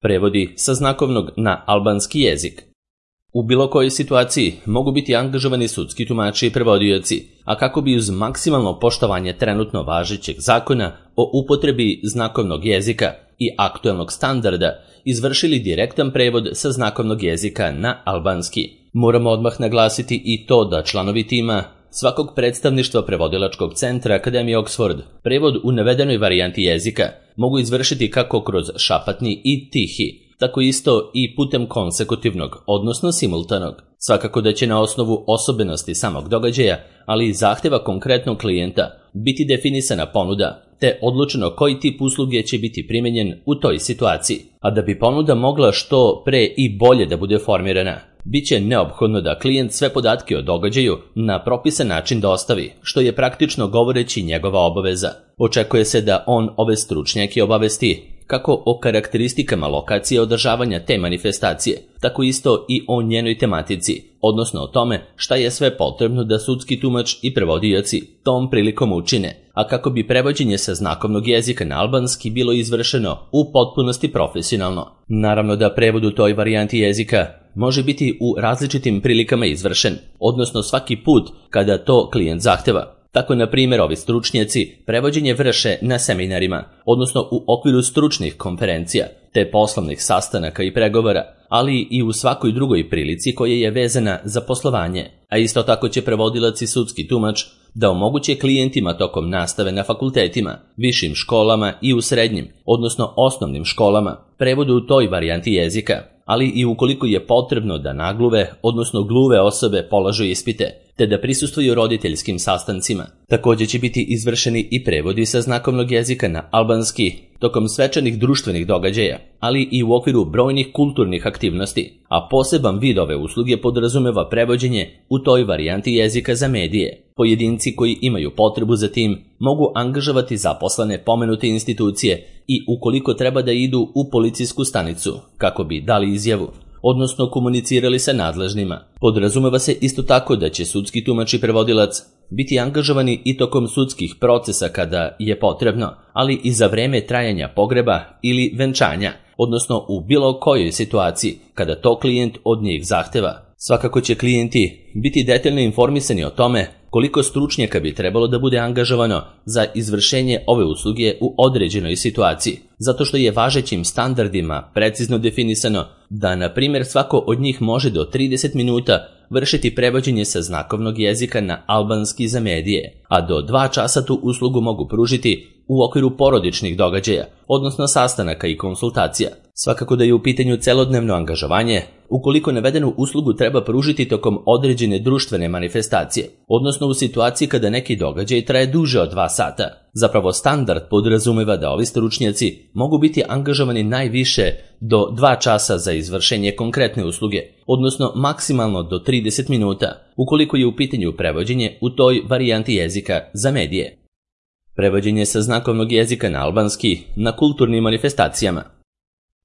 Prevodi sa znakovnog na albanski jezik. U bilo kojoj situaciji mogu biti angažovani sudski tumači i prevodioci, a kako bi uz maksimalno poštovanje trenutno važećeg zakona o upotrebi znakovnog jezika i aktuelnog standarda izvršili direktan prevod sa znakovnog jezika na albanski. Moramo odmah naglasiti i to da članovi tima svakog predstavništva prevodilačkog centra Akademije Oxford prevod u navedenoj varijanti jezika mogu izvršiti kako kroz šapatni i tihi, tako isto i putem konsekutivnog, odnosno simultanog. Svakako da će na osnovu osobenosti samog događaja, ali i zahteva konkretnog klijenta, biti definisana ponuda, te odlučeno koji tip usluge će biti primijenjen u toj situaciji. A da bi ponuda mogla što pre i bolje da bude formirana, bit će neophodno da klijent sve podatke o događaju na propisan način dostavi, što je praktično govoreći njegova obaveza. Očekuje se da on ove stručnjake obavesti kako o karakteristikama lokacije održavanja te manifestacije, tako isto i o njenoj tematici, odnosno o tome šta je sve potrebno da sudski tumač i prevodioci tom prilikom učine, a kako bi prevođenje sa znakovnog jezika na albanski bilo izvršeno u potpunosti profesionalno. Naravno da prevod u toj varijanti jezika može biti u različitim prilikama izvršen, odnosno svaki put kada to klijent zahteva. Tako, na primjer, ovi stručnjaci prevođenje vrše na seminarima, odnosno u okviru stručnih konferencija, te poslovnih sastanaka i pregovora, ali i u svakoj drugoj prilici koja je vezana za poslovanje. A isto tako će prevodilac i sudski tumač da omoguće klijentima tokom nastave na fakultetima, višim školama i u srednjim, odnosno osnovnim školama, prevodu u toj varijanti jezika, ali i ukoliko je potrebno da nagluve, odnosno gluve osobe polažu ispite, te da prisustvuju roditeljskim sastancima. Također će biti izvršeni i prevodi sa znakovnog jezika na albanski tokom svečanih društvenih događaja, ali i u okviru brojnih kulturnih aktivnosti, a poseban vid ove usluge podrazumeva prevođenje u toj varijanti jezika za medije. Pojedinci koji imaju potrebu za tim mogu angažovati zaposlene pomenute institucije i ukoliko treba da idu u policijsku stanicu kako bi dali izjavu, odnosno komunicirali sa nadležnima. Podrazumeva se isto tako da će sudski tumač i prevodilac biti angažovani i tokom sudskih procesa kada je potrebno, ali i za vreme trajanja pogreba ili venčanja, odnosno u bilo kojoj situaciji kada to klijent od njih zahteva. Svakako će klijenti biti detaljno informisani o tome koliko stručnjaka bi trebalo da bude angažovano za izvršenje ove usluge u određenoj situaciji, zato što je važećim standardima precizno definisano da, na primjer, svako od njih može do 30 minuta vršiti prevođenje sa znakovnog jezika na albanski za medije, a do 2 časa tu uslugu mogu pružiti u okviru porodičnih događaja, odnosno sastanaka i konsultacija. Svakako da je u pitanju celodnevno angažovanje, ukoliko navedenu uslugu treba pružiti tokom određene društvene manifestacije, odnosno u situaciji kada neki događaj traje duže od 2 sata. Zapravo standard podrazumeva da ovi stručnjaci mogu biti angažovani najviše do 2 časa za izvršenje konkretne usluge, odnosno maksimalno do 30 minuta, ukoliko je u pitanju prevođenje u toj varijanti jezika za medije. Prevođenje sa znakovnog jezika na albanski na kulturnim manifestacijama.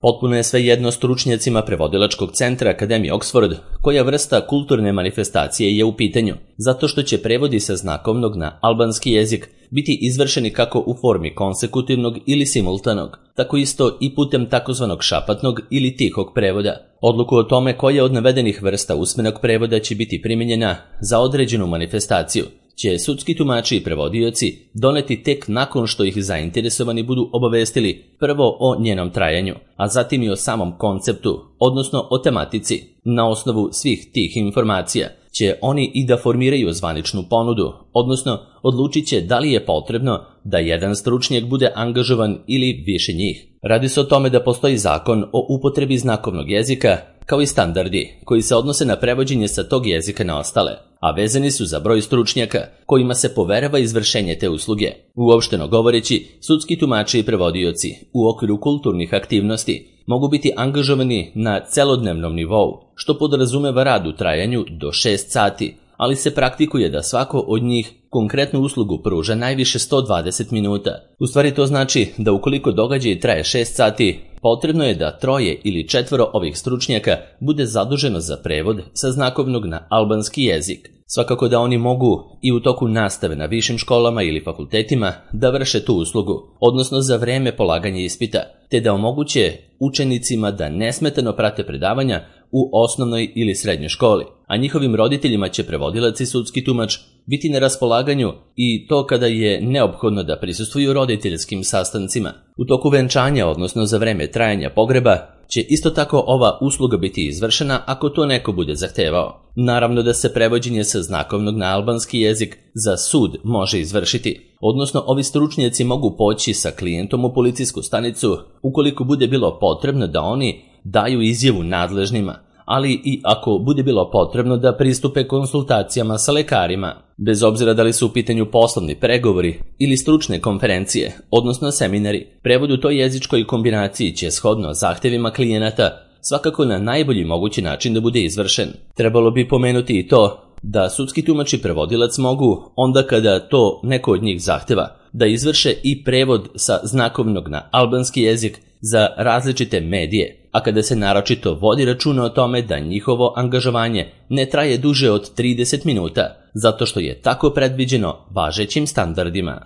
Potpuno je svejedno stručnjacima prevodilačkog centra Akademije Oxford koja vrsta kulturne manifestacije je u pitanju, zato što će prevodi sa znakovnog na albanski jezik biti izvršeni kako u formi konsekutivnog ili simultanog, tako isto i putem takozvanog šapatnog ili tihog prevoda. Odluku o tome koja od navedenih vrsta usmenog prevoda će biti primijenjena za određenu manifestaciju će sudski tumači i prevodioci doneti tek nakon što ih zainteresovani budu obavestili prvo o njenom trajanju, a zatim i o samom konceptu, odnosno o tematici. Na osnovu svih tih informacija će oni i da formiraju zvaničnu ponudu, odnosno odlučit će da li je potrebno da jedan stručnjak bude angažovan ili više njih. Radi se o tome da postoji zakon o upotrebi znakovnog jezika, kao i standardi koji se odnose na prevođenje sa tog jezika na ostale, a vezani su za broj stručnjaka kojima se poverava izvršenje te usluge. Uopšteno govoreći, sudski tumači i prevodioci u okviru kulturnih aktivnosti mogu biti angažovani na celodnevnom nivou, što podrazumeva rad u trajanju do 6 sati, ali se praktikuje da svako od njih konkretnu uslugu pruža najviše 120 minuta. U stvari to znači da ukoliko događaj traje 6 sati, potrebno je da 3 ili 4 ovih stručnjaka bude zaduženo za prevod sa znakovnog na albanski jezik. Svakako da oni mogu i u toku nastave na višim školama ili fakultetima da vrše tu uslugu, odnosno za vreme polaganja ispita, te da omoguće učenicima da nesmetano prate predavanja u osnovnoj ili srednjoj školi, a njihovim roditeljima će prevodilac i sudski tumač biti na raspolaganju i to kada je neophodno da prisustvuju roditeljskim sastancima. U toku venčanja, odnosno za vreme trajanja pogreba, će isto tako ova usluga biti izvršena ako to neko bude zahtevao. Naravno da se prevođenje sa znakovnog na albanski jezik za sud može izvršiti, odnosno ovi stručnjaci mogu poći sa klijentom u policijsku stanicu ukoliko bude bilo potrebno da oni daju izjavu nadležnima, ali i ako bude bilo potrebno da pristupe konsultacijama sa lekarima, bez obzira da li su u pitanju poslovni pregovori ili stručne konferencije, odnosno seminari. Prevod u toj jezičkoj kombinaciji će shodno zahtevima klijenata svakako na najbolji mogući način da bude izvršen. Trebalo bi pomenuti i to da sudski tumač i prevodilac mogu, onda kada to neko od njih zahteva, da izvrše i prevod sa znakovnog na albanski jezik za različite medije, a kada se naročito vodi računa o tome da njihovo angažovanje ne traje duže od 30 minuta, zato što je tako predviđeno važećim standardima.